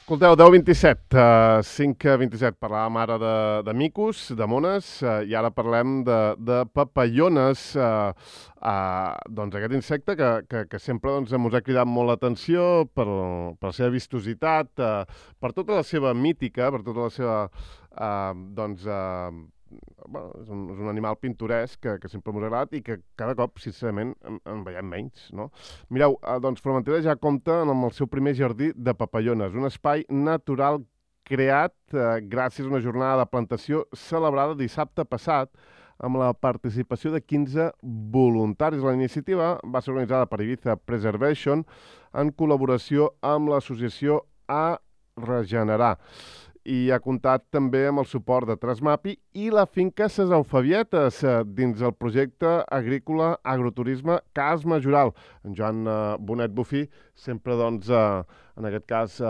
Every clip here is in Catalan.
Escolteu, 10:27, 5:27, parlàvem ara de micos, de mones, i ara parlem de papallones, doncs aquest insecte que sempre ens ha cridat molt l'atenció per la seva vistositat, per tota la seva mítica, per tota la seva, doncs, bueno, és un animal pintoresc que sempre m'ha agradat i que cada cop, sincerament, en veiem menys, no? Mireu, doncs Formentera ja compta amb el seu primer jardí de papallones, un espai natural creat gràcies a una jornada de plantació celebrada dissabte passat amb la participació de 15 voluntaris. La iniciativa va ser organitzada per Ibiza Preservation en col·laboració amb l'associació A Regenerar i ha comptat també amb el suport de Trasmapi i la finca Ses Eufavietes dins el projecte agrícola agroturisme Cas Majoral. En Joan Bonet Bufí sempre, doncs, en aquest cas,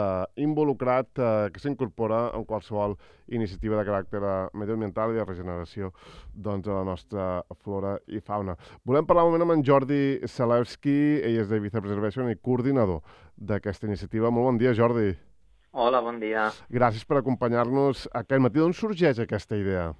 involucrat, que s'incorpora en qualsevol iniciativa de caràcter medioambiental i de regeneració, doncs, de la nostra flora i fauna. Volem parlar un moment amb en Jordi Salewski, ell és de Ibiza Preservation i coordinador d'aquesta iniciativa. Molt bon dia, Jordi. Hola, bon dia. Gràcies per acompanyar-nos aquest matí. D'on sorgeix aquesta idea?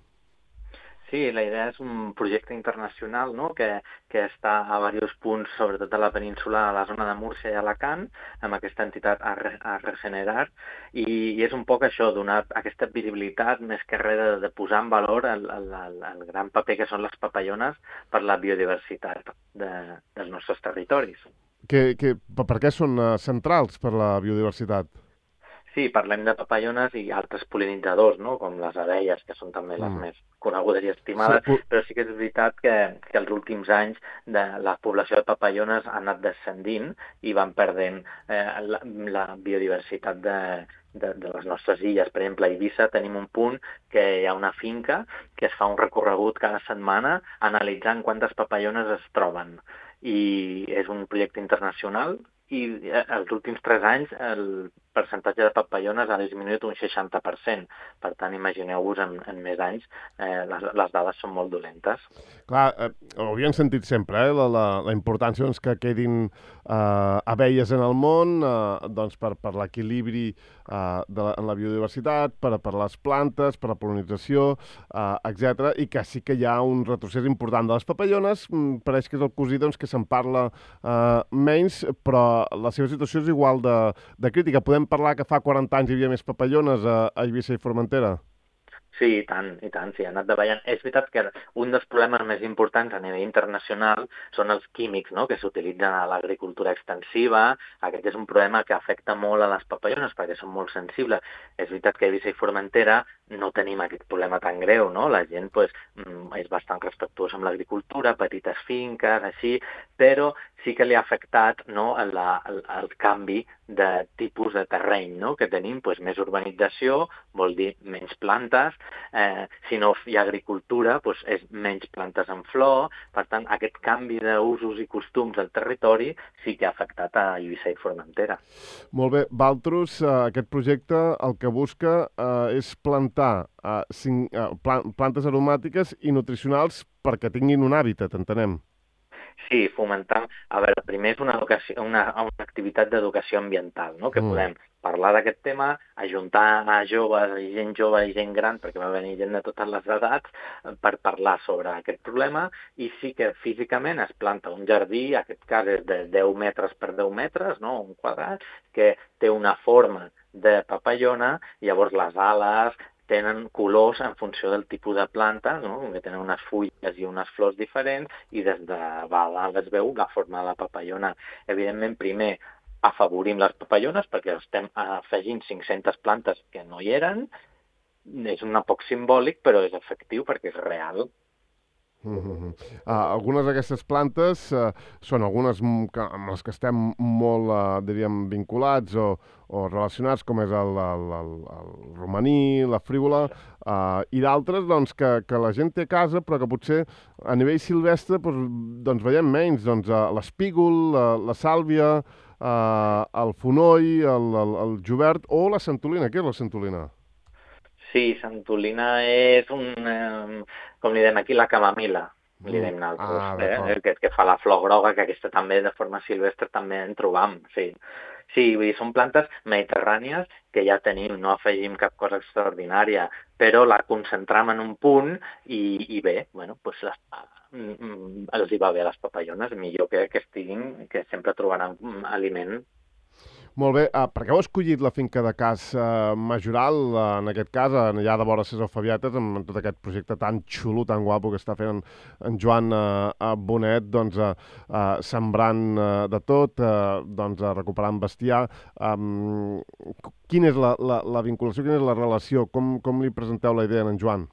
Sí, la idea és un projecte internacional, no?, que està a diversos punts, sobretot a la península, a la zona de Múrcia i Alacant, amb aquesta entitat a Regenerar, i és un poc això, donar aquesta visibilitat, més que res de posar en valor el gran paper que són les papallones per la biodiversitat dels nostres territoris. Per què són centrals per la biodiversitat? Sí, parlem de papallones i altres pol·linitzadors, no?, com les abelles, que són també les més conegudes i estimades, però sí que és veritat que els últims anys la població de papallones ha anat descendint i van perdent la biodiversitat de les nostres illes. Per exemple, a Eivissa tenim un punt que hi ha una finca que es fa un recorregut cada setmana analitzant quantes papallones es troben. I és un projecte internacional i els últims 3 anys el percentatge de papallones ha disminuït un 60%. Per tant, imagineu-vos, en més anys, les dades són molt dolentes. Clar, ho havíem sentit sempre, la importància, doncs, que quedin abelles en el món, doncs, per l'equilibri en la biodiversitat, per les plantes, per la pol·linització, etc. I que sí que hi ha un retrocés important de les papallones. Pareix que és el cosí, doncs, que se'n parla menys, però la seva situació és igual de crítica. Podem parlar que fa 40 anys hi havia més papallones a Eivissa i Formentera? Sí, i tant, sí, ha anat davallant. És veritat que un dels problemes més importants a nivell internacional són els químics, no?, que s'utilitzen a l'agricultura extensiva. Aquest és un problema que afecta molt a les papallones perquè són molt sensibles. És veritat que a Eivissa i Formentera no tenim aquest problema tan greu, no? La gent, pues, és bastant respectuosa amb l'agricultura, petites finques, així, però sí que li ha afectat, no, el canvi de tipus de terreny, no?, que tenim, pues, més urbanització, vol dir menys plantes. Si no hi ha agricultura, doncs és menys plantes en flor. Per tant, aquest canvi d'usos i costums del territori sí que ha afectat a Eivissa i Formentera. Molt bé. Valtros, aquest projecte el que busca és plantar plantes aromàtiques i nutricionals perquè tinguin un hàbitat, entenem. Sí, fomentar... A veure, primer és una activitat d'educació ambiental, no?, que podem parlar d'aquest tema, ajuntar a joves, i gent jove i gent gran, perquè va venir gent de totes les edats, per parlar sobre aquest problema, i sí que físicament es planta un jardí, en aquest cas és de 10 metres per 10 metres, no?, un quadrat, que té una forma de papallona, llavors les ales tenen colors en funció del tipus de planta, no?, que tenen unes fulles i unes flors diferents, i des de dalt es veu la forma de la papallona. Evidentment, primer afavorim les papallones perquè estem afegint 500 plantes que no hi eren. És un poc simbòlic, però és efectiu perquè és real. Algunes d'aquestes plantes són algunes amb les que estem molt, diríem, vinculats o relacionats, com és el romaní, la frívola, i d'altres, doncs, que la gent té a casa, però que potser a nivell silvestre doncs veiem menys, doncs, l'espígol, la sàlvia, el fonoll, el jubert o la santolina. Què és la santolina? Sí, santolina és com li diem aquí, la camamila, li diem nosaltres, D'acord. que fa la flor groga, que aquesta també de forma silvestre també en trobam, sí. Sí, vull dir, són plantes mediterrànies que ja tenim, no afegim cap cosa extraordinària, però la concentram en un punt i bé, bueno, doncs els hi va bé a les papallones, millor que estiguin, que sempre trobaran aliment. Molt bé, per què heu escollit la finca de Cas Majoral, en aquest cas, allà de vora César Fabietes, amb tot aquest projecte tan xulo, tan guapo que està fent en Joan Bonet, doncs, sembrant de tot, doncs, recuperant bestiar. Quina és la vinculació, quina és la relació? Com li presenteu la idea a en Joan?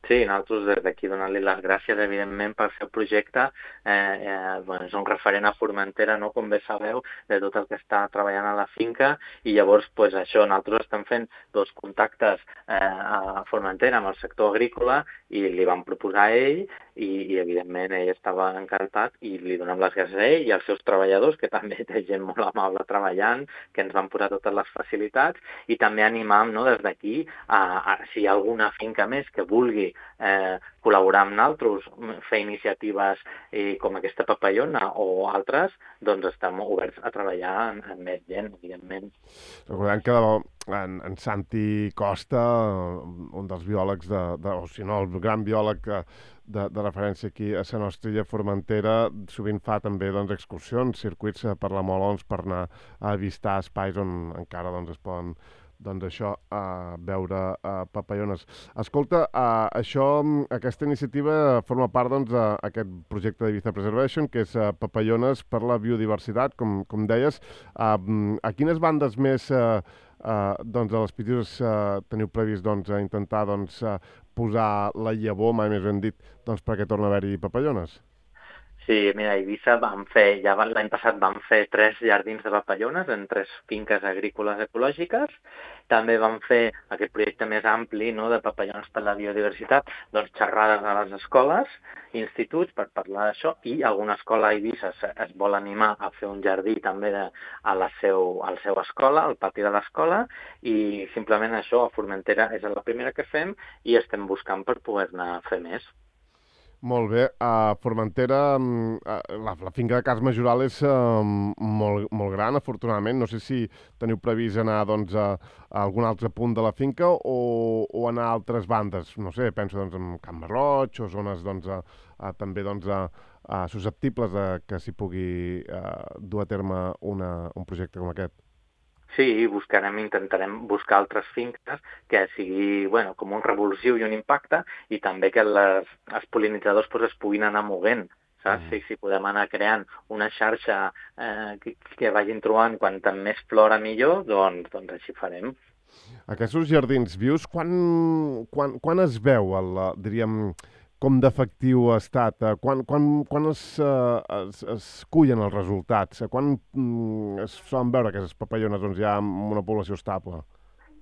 Sí, nosaltres des d'aquí donar-li les gràcies, evidentment, pel seu projecte. Bueno, és un referent a Formentera, no? Com bé sabeu, de tot el que està treballant a la finca, i llavors, pues, això, nosaltres estem fent dos contactes a Formentera amb el sector agrícola i li vam proposar a ell i evidentment, ell estava encantat i li donem les gràcies a ell i als seus treballadors, que també té gent molt amable treballant, que ens van posar totes les facilitats, i també animam, no, des d'aquí, si hi ha alguna finca més que vulgui col·laborar amb nosaltres, fer iniciatives com aquesta papallona o altres, doncs estem oberts a treballar amb més gent, evidentment. Recordem que en Santi Costa, un dels biòlegs, o si no, el gran biòleg de referència aquí a la nostra illa Formentera, sovint fa també doncs, excursions, circuits per la Molons per anar a avistar espais on encara doncs, es poden doncs això, veure papallones. Escolta, aquesta iniciativa forma part doncs, d'aquest projecte d'Ibiza Preservation, que és papallones per la biodiversitat, com deies. A quines bandes més doncs, de les Pitiüses teniu previst doncs, intentar doncs, posar la llavor, mai més ben dit, doncs, perquè torna a haver-hi papallones? Sí, mira, a Eivissa l'any passat vam fer 3 jardins de papallones en 3 finques agrícoles ecològiques. També vam fer aquest projecte més ampli, no, de papallones per la biodiversitat, doncs xerrades a les escoles, instituts per parlar d'això, i alguna escola a Eivissa es vol animar a fer un jardí també a la seva escola, al pati de l'escola, i simplement això a Formentera és la primera que fem i estem buscant per poder-ne fer més. Molt bé. A Formentera, la finca de Cas Majoral és molt gran, afortunadament. No sé si teniu previst anar doncs, a algun altre punt de la finca o anar a altres bandes. No sé, penso doncs, en Camp Marroig o zones doncs, també doncs, susceptibles que s'hi pugui dur a terme un projecte com aquest. Sí, intentarem buscar altres finques que sigui, bueno, com un revulsiu i un impacte, i també que els pol·linitzadors pues, es puguin anar movent, saps? Si podem anar creant una xarxa que vagin trobant quanta més flora millor, doncs així farem. Aquests jardins vius, quan es veu, diríem, com d'efectiu ha estat? Quan es cullen els resultats? Quan es solen veure aquestes papallones doncs, ja amb una població estable?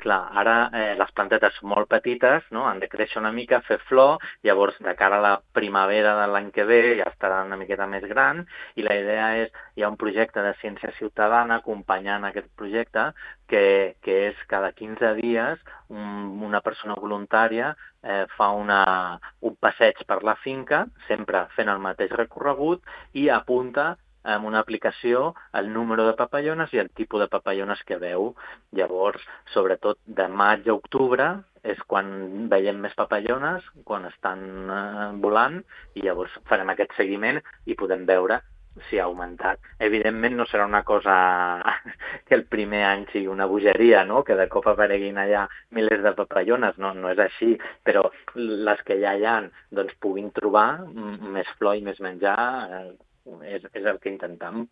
Clar, ara les plantetes són molt petites, no? Han de créixer una mica, fer flor, llavors de cara a la primavera de l'any que ve ja estaran una miqueta més gran, i la idea és, hi ha un projecte de ciència ciutadana acompanyant aquest projecte, que és cada 15 dies una persona voluntària fa un passeig per la finca, sempre fent el mateix recorregut, i apunta amb una aplicació el número de papallones i el tipus de papallones que veu. Llavors, sobretot de maig a octubre és quan veiem més papallones, quan estan volant, i llavors farem aquest seguiment i podem veure si ha augmentat. Evidentment no serà una cosa que el primer any sigui una bogeria, no? Que de cop apareguin allà milers de papallones, no és així, però les que ja hi ha doncs, puguin trobar més flor i més menjar, és el que intentem.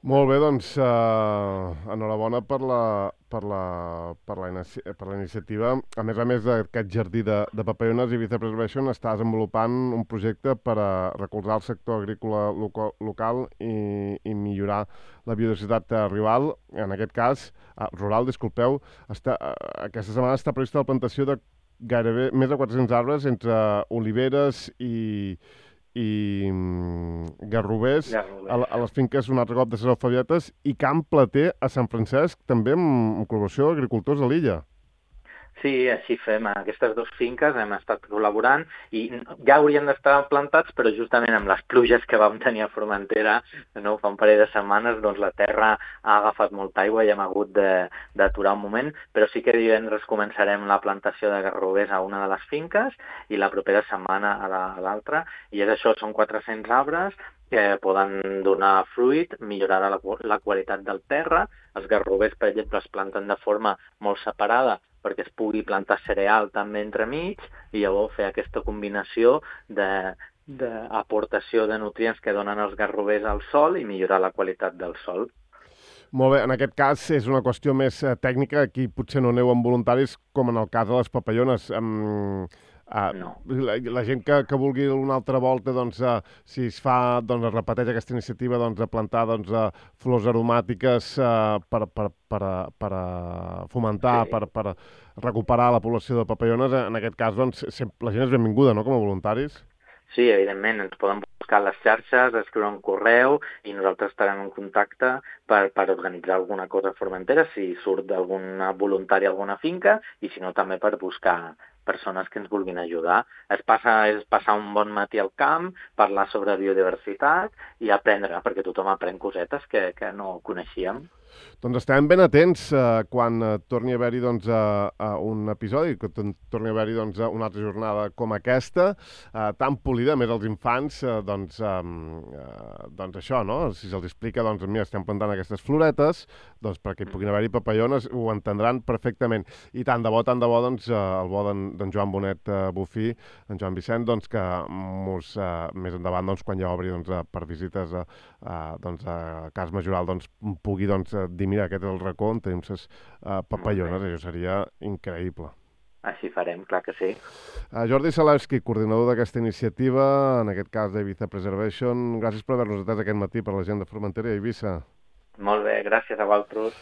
Molt bé, doncs enhorabona per la iniciativa. A més d'aquest jardí de papallones, Ibiza Preservation està desenvolupant un projecte per a recolzar el sector agrícola local i millorar la biodiversitat rural. En aquest cas, disculpeu, aquesta setmana està prevista la plantació de gairebé més de 400 arbres entre oliveres i garrovers a les finques un altre cop de César Fabietes i Camp Plater a Sant Francesc, també amb col·laboració d'agricultors de l'illa. Sí, així fem. A aquestes dues finques hem estat col·laborant i ja haurien d'estar plantats, però justament amb les pluges que vam tenir a Formentera, no, fa un parell de setmanes, doncs la terra ha agafat molta aigua i hem hagut d'aturar un moment, però sí que divendres començarem la plantació de garrovers a una de les finques i la propera setmana a l'altra. I és això, són 400 arbres que poden donar fruit, millorar la qualitat del terra. Els garrovers, per exemple, es planten de forma molt separada perquè es pugui plantar cereal també entremig i llavors fer aquesta combinació d'aportació de nutrients que donen els garrovers al sol i millorar la qualitat del sol. Molt bé, en aquest cas és una qüestió més tècnica, aquí potser no aneu amb voluntaris com en el cas de les papallones. No. La gent que vulgui una altra volta, doncs, si es fa, doncs, es repeteix aquesta iniciativa doncs, de plantar doncs, flors aromàtiques per fomentar, Sí. per recuperar la població de papallones, en aquest cas doncs, la gent és benvinguda, no?, com a voluntaris. Sí, evidentment, ens poden buscar a les xarxes, escriure un correu i nosaltres estarem en contacte per organitzar alguna cosa a Formentera, si surt d'algun voluntari a alguna finca i si no també per buscar persones que ens vulguin ajudar. És passar un bon matí al camp, parlar sobre biodiversitat i aprendre, perquè tothom aprèn cosetes que no coneixíem. Doncs estarem ben atents quan torni a haver-hi doncs, un episodi, que torni a haver-hi doncs, una altra jornada com aquesta, tan polida, a més els infants, doncs això, no? Si se'ls explica, doncs, mira, estem plantant aquestes floretes, doncs perquè hi puguin haver-hi papallones, ho entendran perfectament. I tant de bo, doncs, el bo d'en Joan Bonet Bufí, en Joan Vicent, doncs, que més endavant, doncs, quan ja obri doncs, per visites doncs, a Cas Majoral, doncs, pugui doncs, dir, mira, aquest és el racó on tenim les papallones, això seria increïble. Així farem, clar que sí. Jordi Salewski, coordinador d'aquesta iniciativa, en aquest cas d'Ibiza Preservation, gràcies per haver-nos atès aquest matí per la gent de Formentera i Eivissa. Molt bé, gràcies a vosaltres.